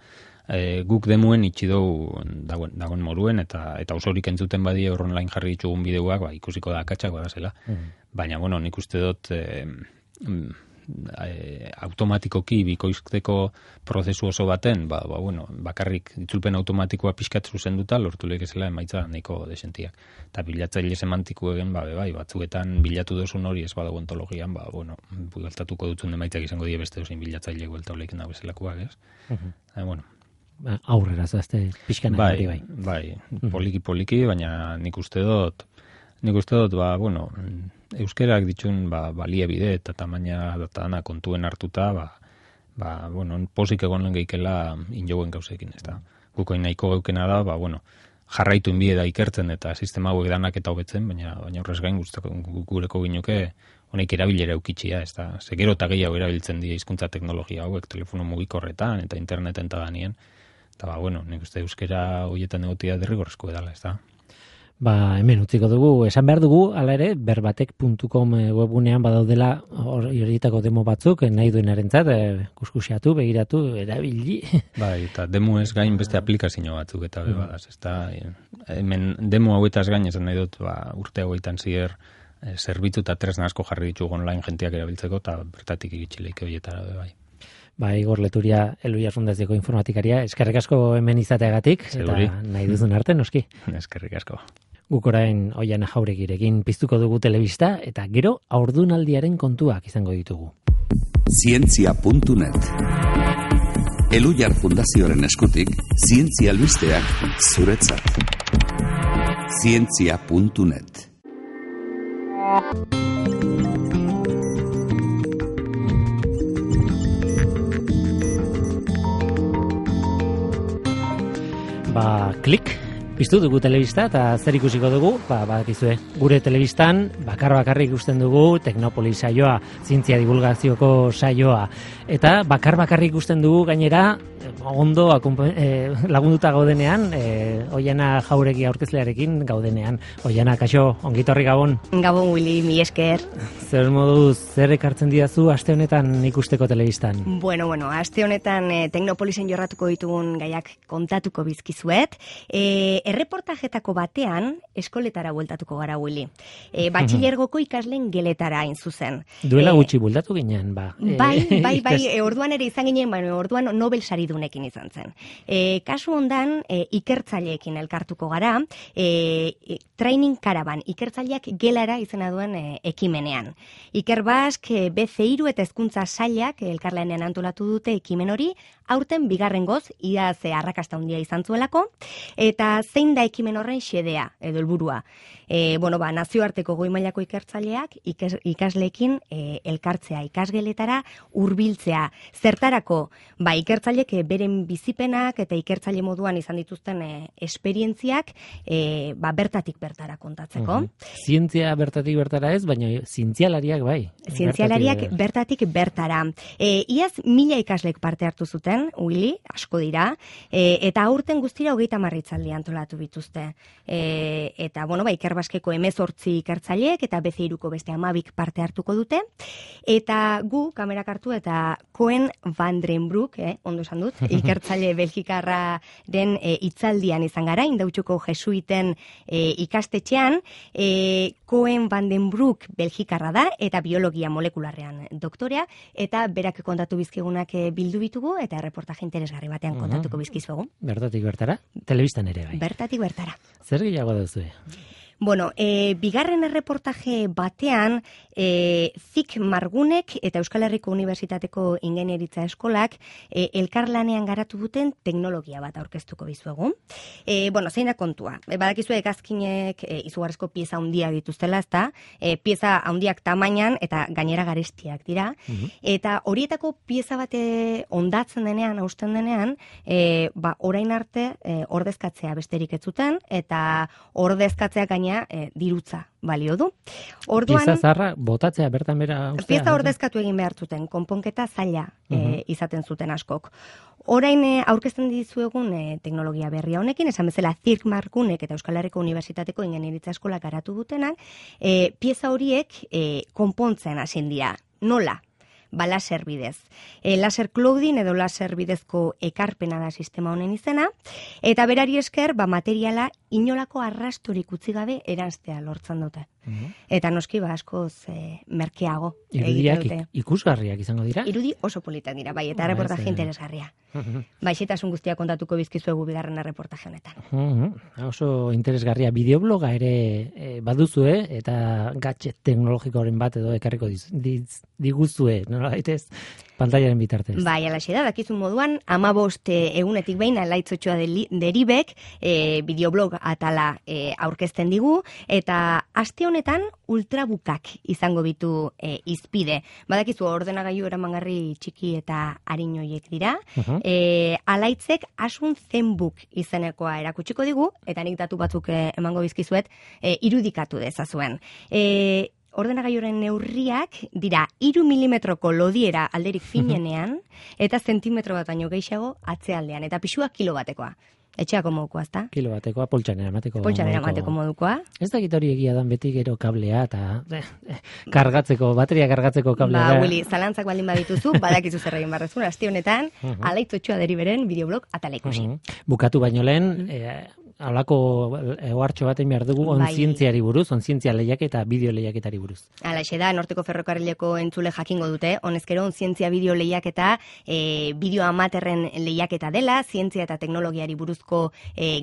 Guk demuen itxi dugu dagoen moruen, eta osorik entzuten badie online jarri ditugun bideoak, ikusiko da akatsak badazela. Baina, bueno, nik uste dut automatikoki bikoizteko prozesu oso baten, bueno, bakarrik itzulpen automatikoa pixkat zuzenduta lortu lekezela emaitza nahiko desentiak. Eta bilatzaile semantiko egen, bai, batzuetan bilatu dozun hori ez badago ontologian, bueno, bueltatuko dutzun emaitzak izango die beste dozein bilatzaile buelta olekin da bezalakoak, ez? Bueno. Aurrera, zazte, pixkana hori bai. Bai, poliki, baina nik uste dut, bueno, euskerak ditun baliabide eta tamaina datana kontuen hartuta, bueno, posik egon geikela injoen gauzekin, ez da. Gukoin nahiko geukena da, bueno, jarraitu inbide da ikertzen eta sistema hauek danak eta hobetzen, baina horrez gain gureko ginuke honek erabilera eukitxia, ez da. Gero eta gehiago erabiltzen dira hizkuntza teknologia hauek, telefono mugikorretan eta interneten eta danien. Eta, bueno, nik uste euskera horietan egotia derrigorrezko edala, ez da. Hemen utziko dugu, esan behar dugu, ala ere, berbatek.com webgunean badaudela horietako demo batzuk, nahi duenarentzat, kuskusiatu, begiratu, erabili. Bai, eta demo ez gain beste aplikazio batzuk eta bebadaz, ez da. Hemen demo hauetaz gain esan nahi dut, urte hauetan zier, zerbitzu eta tresna asko jarri ditugu online jentiak erabiltzeko, eta bertatik egitxileik horietara bai. Igor Leturia, Eluia Fundazioko informatikaria, eskerrik asko hemen izateagatik, eta nahi duzun arte, noski. Eskerrik asko. Guk orain Oiana Jauregirekin piztuko dugu telebista, eta gero haurdunaldiaren kontuak izango ditugu. Zientzia.net Eluia Fundazioaren eskutik, zientzia albisteak zuretzat. Zientzia.net Klik, piztu dugu telebista eta zer ikusiko dugu, badakizue, gure telebistan bakarrik ikusten dugu Teknopolis saioa, zientzia divulgazioko saioa, eta bakarrik ikusten dugu gainera ondo lagunduta gaudenean, Oiana Jauregi aurkezlearekin gaudenean. Oiana, kaixo, ongitorri Gabon. Gabon, Willy, mi esker. Zer moduz, zer ekartzen didazu aste honetan ikusteko telebistan? Bueno, aste honetan Teknopolisen jorratuko ditugun gaiak kontatuko bizkizuet. Erreportajetako batean eskoletara bueltatuko gara, Willy. Batxilergoko ikasleen geletara hain zuzen. Duela gutxi bueltatu ginen, Bai, orduan ere izan ginen, orduan Nobel saridunekin izan zen. Kasu hondan, ikertzaileekin elkartuko gara, training caravan, ikertzaileak gelara izena duen ekimenean. Iker Bask, BC3 eta hezkuntza sailak elkarlanean antolatu dute ekimen hori, aurten bigarrengoz, iaz arrakasta handia izan zuelako, eta zein da ekimen horren xedea, edo helburua. Nazioarteko goi mailako ikertzaileak ikasleekin elkartzea, ikasgeletara hurbiltzea. Zertarako, ikertzaileek beren bizipenak eta ikertzaile moduan izan dituzten esperientziak bertatik bertara kontatzeko. Zientzia bertatik bertara ez, baina zientzialariak bai. Zientzialariak bertatik bertara. Iaz 1000 ikaslek parte hartu zuten, Willy, asko dira, eta aurten guztira 30 hitzaldi antolatu bituzte. Eta, Iker Baskeko 18 ikertzaileek eta BC3ko beste 12 parte hartuko dute. Eta gu, kamerak hartu eta Koen van den Broek, ondo esan dut, ikertzaile belgikarraren hitzaldian izan gara, Indautxuko jesuiten ikastetxean. Koen van den Broek belgikarra da eta biologia molekularrean doktorea, eta berak kontatu bizkigunak bildu bitugu eta reportaje interesgarri batean kontatuko bizkizuegu. Bertatik bertara, telebistan ere bai. Bertatik bertara. Zer gehiago duzue? Bigarren erreportaje batean, Zik Margunek eta Euskal Herriko Unibertsitateko Ingeniaritza Eskolak elkarlanean garatu duten teknologia bat aurkeztuko dizuegu. Zein da kontua? Badakizu hegazkinek izugarrizko pieza handiak dituztela, ezta? Pieza handiak tamainan eta gainera garestiak dira. Eta horietako pieza bate ondatzen denean, hausten denean, orain arte ordezkatzea besterik ez zuten, eta ordezkatzea gainera baina dirutza balio du. Orduan, pieza zaharra botatzea bertan bera ustea. Pieza ordezkatu egin behar zuten, konponketa zaila izaten zuten askok. Orain aurkezten dizuegun teknologia berria honekin, esan bezala Zirk Markunek eta Euskal Herriko Unibertsitateko Ingeniaritza Eskola garatu dutenak, pieza horiek konpontzen hasin dira. Nola? Laser bidez. Laser clouding edo laser bidezko ekarpena da sistema honen izena, eta berari esker, materiala inolako arrastorik utzi gabe eranztea lortzen dute. Eta noski askoz merkeago. Irudiak ikusgarriak izango dira? Irudi oso politak dira, bai, eta reportaje interesgarria. Xehetasun guztia kontatuko bizkizuegu bigarren reportaje honetan. Oso interesgarria. Bideobloga ere baduzue, eta gadget teknologikoren bat edo ekarriko diguzue, nola daitez, pantailaren bitartez. Bai, alaxe da, dakizun moduan, 15 egunetik behin Alaitz Otxoa deribek bideoblog atala aurkezten digu, eta aste honetan ultrabukak izango bitu izpide. Badakizu ordenagailu eramangarri txiki eta arinoiek dira. Alaitzek Asun Zenbook izenekoa erakutsiko digu, eta nik datu batzuk emango bizkizuet irudikatu dezazuen. Ordenagailuaren neurriak dira 3 milimetroko lodiera alderik finenean, eta zentimetro bat baino gehiago atzealdean, eta pixua kilo batekoa. Etxeako modukoa, ezta? Kilo batekoa, poltsanera mateko modukoa. Ez dakit hori egia dan beti gero kablea eta bateria kargatzeko kablea. Willy, zalantzak baldin badituzu, badakizu zer egin barrezun, aste honetan, Alaitz Otxoa deriberen bideoblog atala ikusi. Bukatu baino lehen, halako ohartxo baten behar dugu onzientziari buruz, onzientzia lehiak eta bideo lehiaketari buruz. Halaxe da, Norteko Ferrokarrileko entzule jakingo dute, honezkero onzientzia bideo lehiaketa, bideo amaterren lehiaketa dela, zientzia eta teknologiari buruzko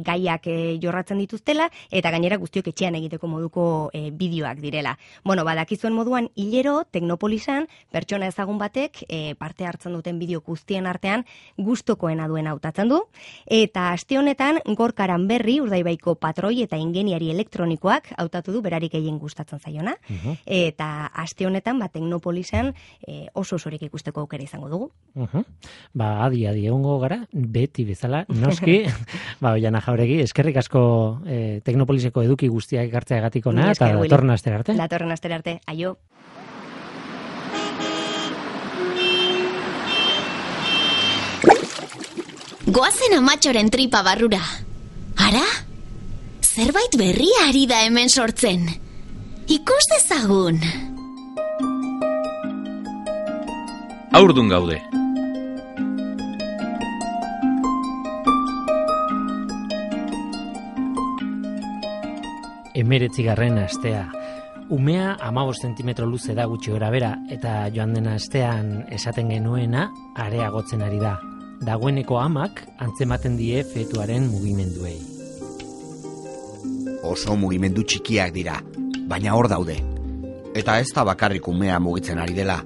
gaiak jorratzen dituztela, eta gainera guztiok etxean egiteko moduko bideoak direla. Badakizuen moduan, hilero, Teknopolisan, pertsona ezagun batek, parte hartzen duten bideo guztien artean, gustokoena duen hautatzen du, eta aste honetan, Gorkaran Berri, Urdaibaiko patroi eta ingeniari elektronikoak hautatu du berarik gehien gustatzen zaiona, eta aste honetan Teknopolisan oso osorik ikusteko aukera izango dugu. Adi egongo gara, beti bezala, noski, Oiana Jauregi, eskerrik asko Teknopoliseko eduki guztiak ekartzeagatik ona, eta datorren astera arte. Datorren astera arte, aio. Goazen amatxoren tripa barrura. Ara? Zerbait berria ari da hemen sortzen. Ikus dezagun. Haurdun gaude. Emeretzigarren astea. Umea 15 zentimetro luze da gutxi gora bera, eta joan dena astean esaten genuena areagotzen ari da. Dagoeneko amak antzematen die fetuaren mugimenduei. Oso mugimendu txikiak dira, baina hor daude. Eta ez da bakarrik umea mugitzen ari dela.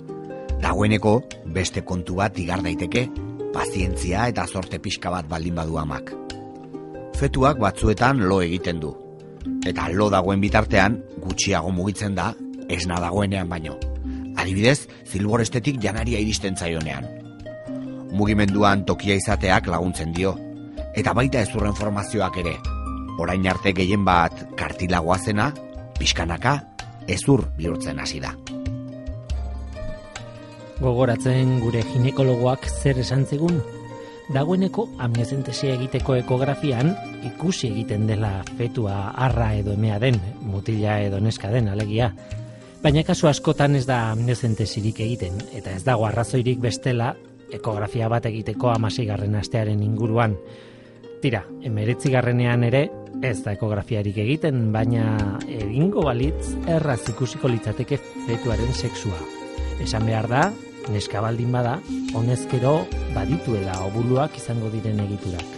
Dagoeneko beste kontu bat igar daiteke, pazientzia eta zorte pixka bat baldin badu amak. Fetuak batzuetan lo egiten du. Eta lo dagoen bitartean gutxiago mugitzen da, esna dagoenean baino. Adibidez, zilborestetik janaria iristen zaionean. Mugimenduan tokia izateak laguntzen dio, eta baita ezurren formazioak ere. Orain arte gehien bat kartilagoa zena, pixkanaka, ezur bihurtzen hasi da. Gogoratzen gure ginekologoak zer esan zigun? Dagoeneko amniozentesia egiteko ekografian ikusi egiten dela fetua arra edo emea den, mutila edo neska den alegia. Baina kasu askotan ez da amniozentesirik egiten, eta ez dago arrazoirik bestela ekografia bat egiteko 16. astearen inguruan. Tira, 19. ere ez da ekografiarik egiten, baina egingo balitz erraz ikusiko litzateke fetuaren sexua. Esan behar da, neska baldin bada, honezkero badituela obuluak izango diren egiturak.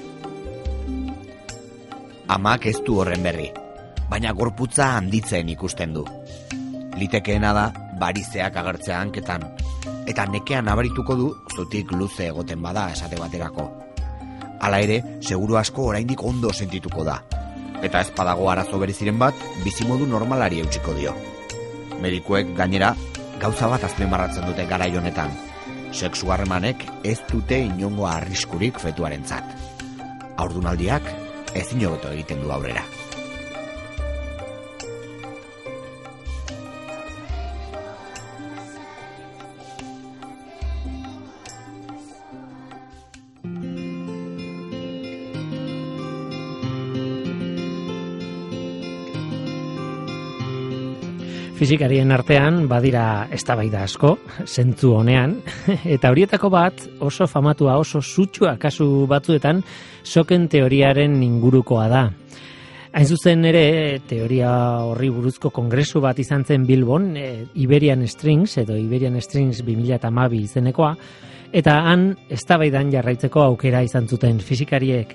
Amak ez du horren berri, baina gorputza handitzen ikusten du. Litekeena da, barizeak agertzea hanketan, eta nekean abarituko du zutik luze egoten bada esate baterako. Hala ere, seguru asko oraindik ondo sentituko da. Eta ez badago arazo bereziren bat, bizimodu normalari eutsiko dio. Medikuek gainera, gauza bat azpimarratzen dute garai honetan. Sexu harremanek ez dute inongo arriskurik fetuarentzat. Haurdunaldiak ezin hobeto egiten du aurrera. Fizikarien artean badira eztabaida asko, zentzu honean, eta horietako bat oso famatua, oso sutsua kasu batzuetan soken teoriaren ingurukoa da. Hain zuzen ere, teoria horri buruzko kongresu bat izan zen Bilbon, Iberian Strings 2012 izenekoa, eta han eztabaidan jarraitzeko aukera izan zuten fisikariek.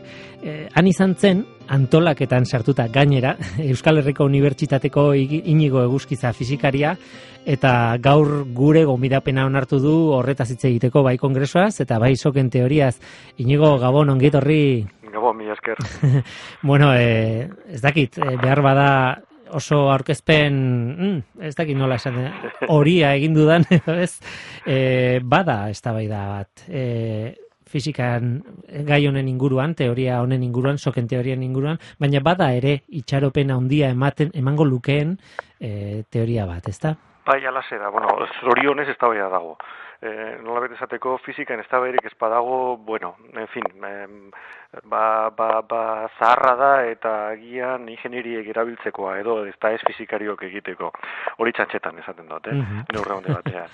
Han izan zen, antolaketan sartuta gainera, Euskal Herriko Unibertsitateko Inigo Eguzkiza fisikaria, eta gaur gure gonbidapena onartu du horretaz hitz egiteko bai kongresuaz, eta bai soken teoriaz. Inigo, Gabon, ongi etorri. Gabon, mila esker. Bueno, ez dakit, behar bada oso aurkezpen, ez dakit nola esan, horia egin dudan, ez? Bada eztabaida bat, fizikan gai honen inguruan, teoria honen inguruan, soken teorian inguruan, baina bada ere itxaropen handia emango lukeen teoria bat, ezta? Bai, alase da, bueno, zorionez eztabaida dago. Nolabait esateko fisikan eztabaidarik ez badago, bueno, en fin, zaharra da eta agian ingenieriek erabiltzekoa edo ez fisikariok egiteko. Hori txantxetan esaten dut, neurre honde batean.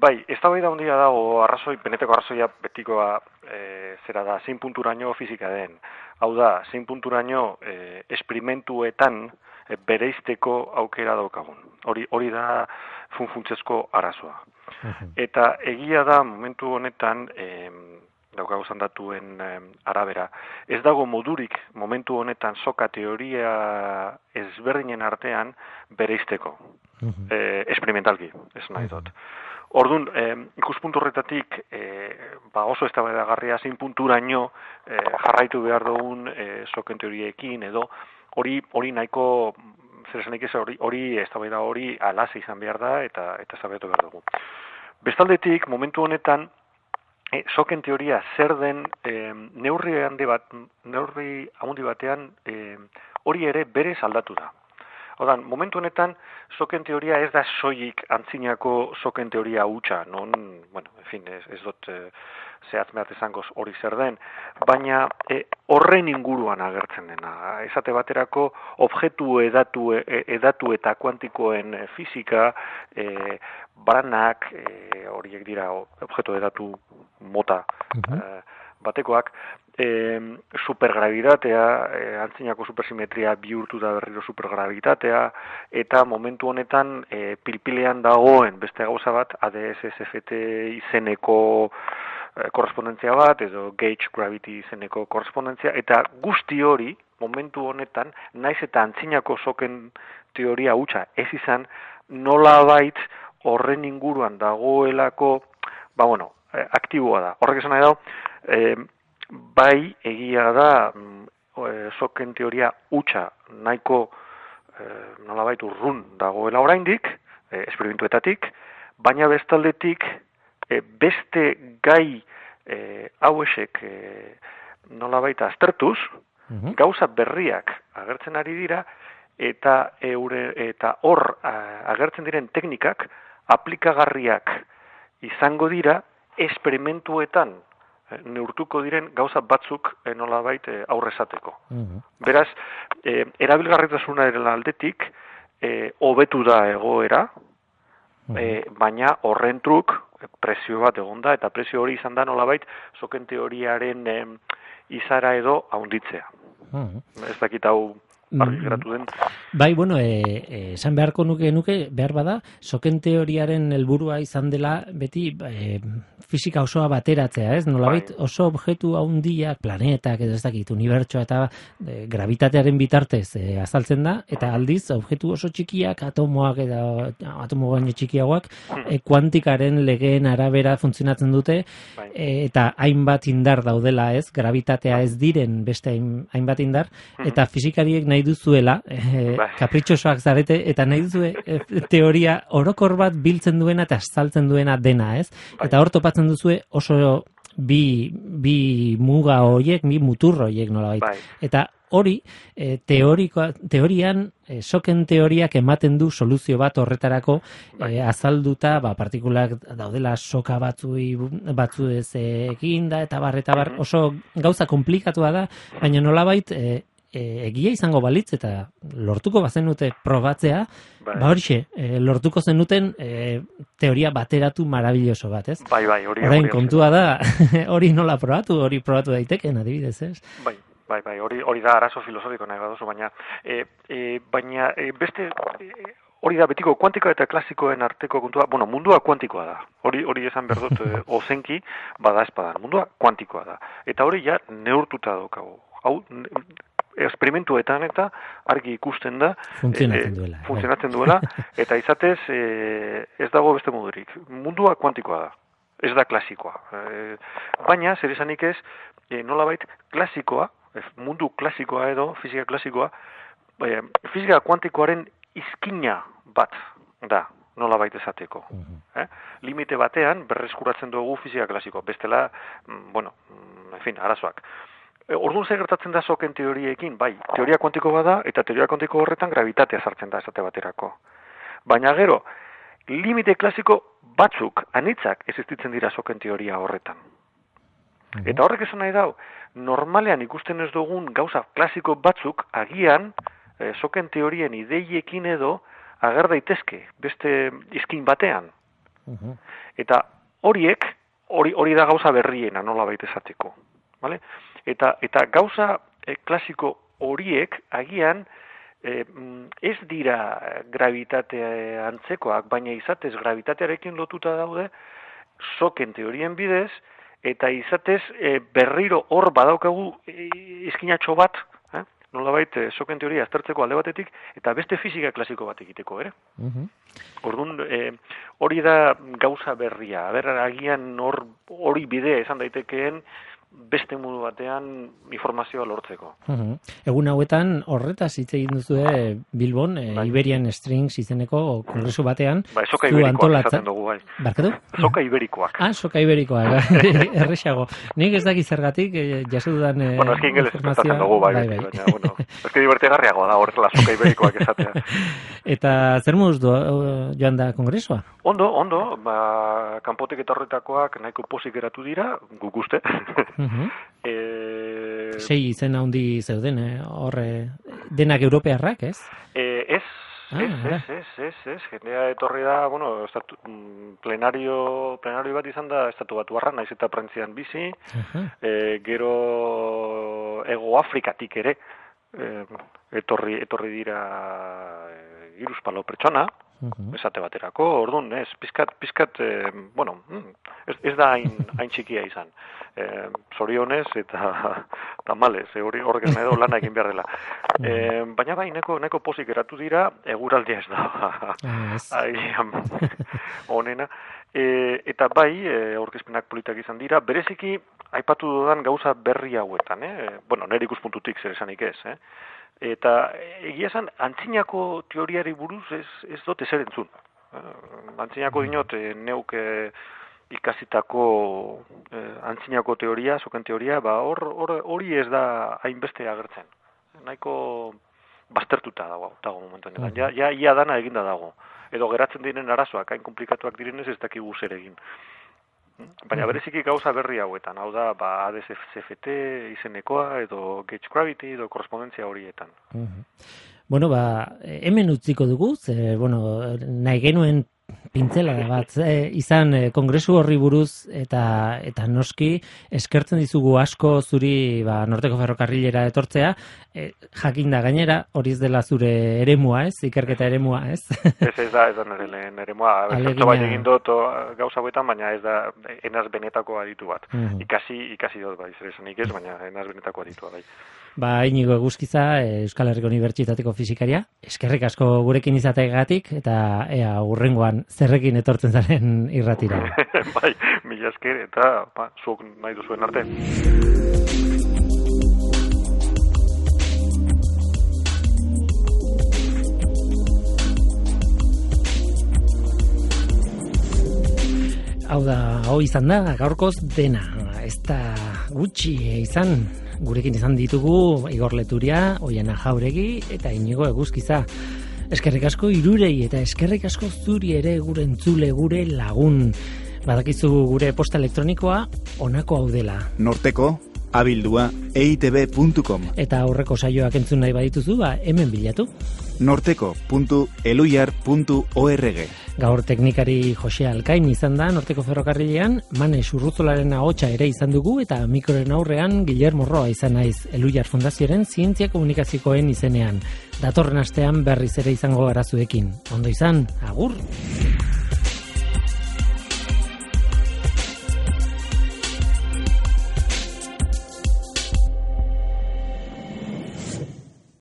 Bai, eztabaida handia dago, benetako arrazoia betikoa zera da, zein punturaino fisika den. Hau da, zein punturaino esperimentuetan bereizteko aukera daukagun. Hori da funtzezko arazoa. Eta egia da momentu honetan daukagu zandatuen arabera. Ez dago modurik momentu honetan soka teoria ezberdinen artean bereizteko. Esperimentalki, ez nahi dut. Orduan, ikuspuntu horretatik oso eztabaidagarria zein punturaino jarraitu behar dugun soken teoriekin edo hori nahiko zer esanik ez hori eztabaida hori alase izan behar da eta eztabaidatu behar dugu. Bestaldetik, momentu honetan, soken teoria zer den neurri handi batean hori ere berez aldatu da. Odan, momentu honetan, soken teoria ez da soilik antzinako soken teoria hutsa, non, bueno, en fin, ez dut zehatz mehat esango hori zer den, baina horren inguruan agertzen dena. Esate baterako, objektu edatu eta kuantikoen fisika, baranak, horiek dira objektu edatu mota batekoak, supergravitatea, antzinako supersimetria bihurtu da berriro supergravitatea, eta momentu honetan pilpilean dagoen beste gauza bat, ADS-SFT izeneko korrespondentzia bat, edo gauge gravity izeneko korrespondentzia, eta guzti hori, momentu honetan, naiz eta antzinako soken teoria hutsa ez izan, nolabait horren inguruan dagoelako, aktiboa da. Horrek esan nahi dago, bai egia da soken teoria hutsa nahiko nolabait urrun dagoela oraindik, esperimentuetatik, baina bestaldetik beste gai hauesek nolabait aztertuz, gauza berriak agertzen ari dira eta hor agertzen diren teknikak aplikagarriak izango dira esperimentuetan neurtuko diren gauza batzuk nolabait aurrezateko. Beraz, erabilgarritasunaren aldetik hobetu da egoera, baina horren truk prezio bat egonda eta prezio hori izan da nolabait soken teoriaren izara edo haunditzea. Ez dakit hau argi geratu den. Bai, bueno, esan beharko nuke behar bada, soken teoriaren helburua izan dela beti fisika osoa bateratzea, ez? Nolabait oso objektu handiak, planetak edo ez dakit, unibertsoa eta gravitatearen bitartez azaltzen da, eta aldiz objektu oso txikiak, atomoak eta atomo baino txikiagoak, kuantikaren legeen arabera funtzionatzen dute, eta hainbat indar daudela, ez? Gravitatea ez diren beste hainbat indar, eta fisikariek nahi duzuela, kapritxosoak zarete, eta nahi duzue teoria orokor bat biltzen duena eta azaltzen duena dena, ez? Eta hor topatzen duzue oso bi muga horiek, bi mutur horiek nolabait. Eta hori, teorian, soken teoriak ematen du soluzio bat horretarako azalduta, partikulak daudela soka batzuez egin da, eta bar, oso gauza komplikatua da, baina nolabait egia izango balitz eta lortuko bazenute probatzea, horixe, lortuko zenuten teoria bateratu marabilloso bat, ez? Bai, hori. Orain kontua da, hori nola probatu, hori probatu daiteken, adibidez, ez? Bai, hori da arazo filosofiko nahi baduzu, baina beste... Hori da, betiko kuantikoa eta klasikoen arteko kontua, mundua kuantikoa da. Hori esan behar dut ozenki, bada espadan. Mundua kuantikoa da. Eta hori ja neurtuta daukagu. Hau, esperimentuetan eta argi ikusten da. Funtzionatzen duela. Eta izatez, ez dago beste modurik. Mundua kuantikoa da. Ez da klasikoa. Baina, zer esanik ez, nolabait klasikoa, mundu klasikoa edo, fizika klasikoa, fizika kuantikoaren izkina bat da, nola baita esateko. Limite batean berreskuratzen dugu fizika klasiko, bestela, arazoak. Orduan zer gertatzen da soken teoriekin, bai, teoria kuantiko bada, eta teoria kuantiko horretan gravitatea sartzen da esate baterako. Baina gero, limite klasiko batzuk, anitzak, existitzen dira soken teoria horretan. Eta horrek esan nahi dau, normalean ikusten ez dugun gauza klasiko batzuk, agian, soken teorien ideiekin edo ager daitezke beste izkin batean. Eta hori da gauza berriena nola baita esateko. Vale? Eta gauza klasiko horiek agian ez dira gravitate antzekoak, baina izatez gravitatearekin lotuta daude soken teorien bidez, eta izatez berriro hor badaukagu izkinatxo bat, nolabait soken teoria aztertzeko alde batetik, eta beste fizika klasiko bat egiteko, ere? Orduan, hori da gauza berria. Agian hori bidea izan daitekeen beste modu batean informazioa lortzeko. Egun hauetan horretaz hitz egin duzue Bilbon, Iberian Strings izeneko kongresu batean. Soka iberikoak esaten dugu, bai. Barkatu? Soka iberikoak. Soka iberikoak, errexago. Nik ez dakit zergatik, jaso dudan eski ingeles esaten dugu, bai. Baina, eski divertigarriago da horrela soka iberikoak esatea. Eta zer moduz joan da kongresua? Ondo, kanpotik eta horretakoak nahiko pozik geratu dira, guk uste. Sei izen handi zeuden, horre denak europearrak, ez? Ez. Jendea etorri da, plenario bat izan da estatu batuarra, naiz eta Prentzian bizi, gero Hego Afrikatik ere, etorri dira 3 pertsona, esate baterako, orduan, pizkat, ez da hain txikia izan. Zorionez eta tamalez, horrek esan edo lana egin behar dela. Baina bai, neko pozik eratu dira, eguraldia ez da. Honena. Eta bai, aurkezpenak politak izan dira, bereziki, aipatu dudan gauza berri hauetan, nire ikuspuntutik zer esanik ez, Eta egia esan, antzinako teoriari buruz ez dut ezer entzun. Antzinako dinot, neuk ikasitako antzinako teoria, soken teoria, hori ez da hainbeste agertzen. Nahiko baztertuta dago momentuan. Ja dana eginda dago. Edo geratzen diren arazoak, hain komplikatuak direnez ez dakigu zer egin. Baina bereziki gauza berri hauetan, hau da, ADS-CFT izenekoa, edo gauge gravity, edo korrespondentzia horietan. Hemen utziko dugu, nahi genuen pintzela bat izan kongresu horri buruz eta noski eskertzen dizugu asko zuri Norteko Ferrokarrilera etortzea, jakinda gainera hori ez dela zure eremua, ez? Ikerketa eremua, ez? Ez da nire lehen eremua. Zertzo bai egin dut gauza hauetan, baina ez da enaz benetako aditu bat. Ikasi dut bai, zer esanik ez, baina enaz benetako aditua bai. Inigo Eguzkiza, Euskal Herriko Unibertsitateko fisikaria, eskerrik asko gurekin izateagatik eta hurrengoan zerrekin etortzen zaren irratira. Bai, mila esker eta zuok nahi duzuen arte. Hau izan da, gaurkoz dena, ez da gutxi izan. Gurekin izan ditugu Igor Leturia, Oiana Jauregi eta Inigo Eguzkiza. Eskerrik asko irurei eta eskerrik asko zuri ere gure entzule, gure lagun. Badakizu gure posta elektronikoa honako hau dela. Norteko abildua eitb.com. Eta aurreko saioak entzun nahi badituzu, hemen bilatu. norteko.eluyar.org. Gaur teknikari Jose Alkain izan da Norteko Ferrokarrilean, Mane Urruzolaren ahotsa ere izan dugu, eta mikroren aurrean Guillermo Roa izan naiz Eluyar Fundazioaren zientzia komunikazioen izenean. Datorren astean berriz ere izango gara zuekin. Ondo izan, agur!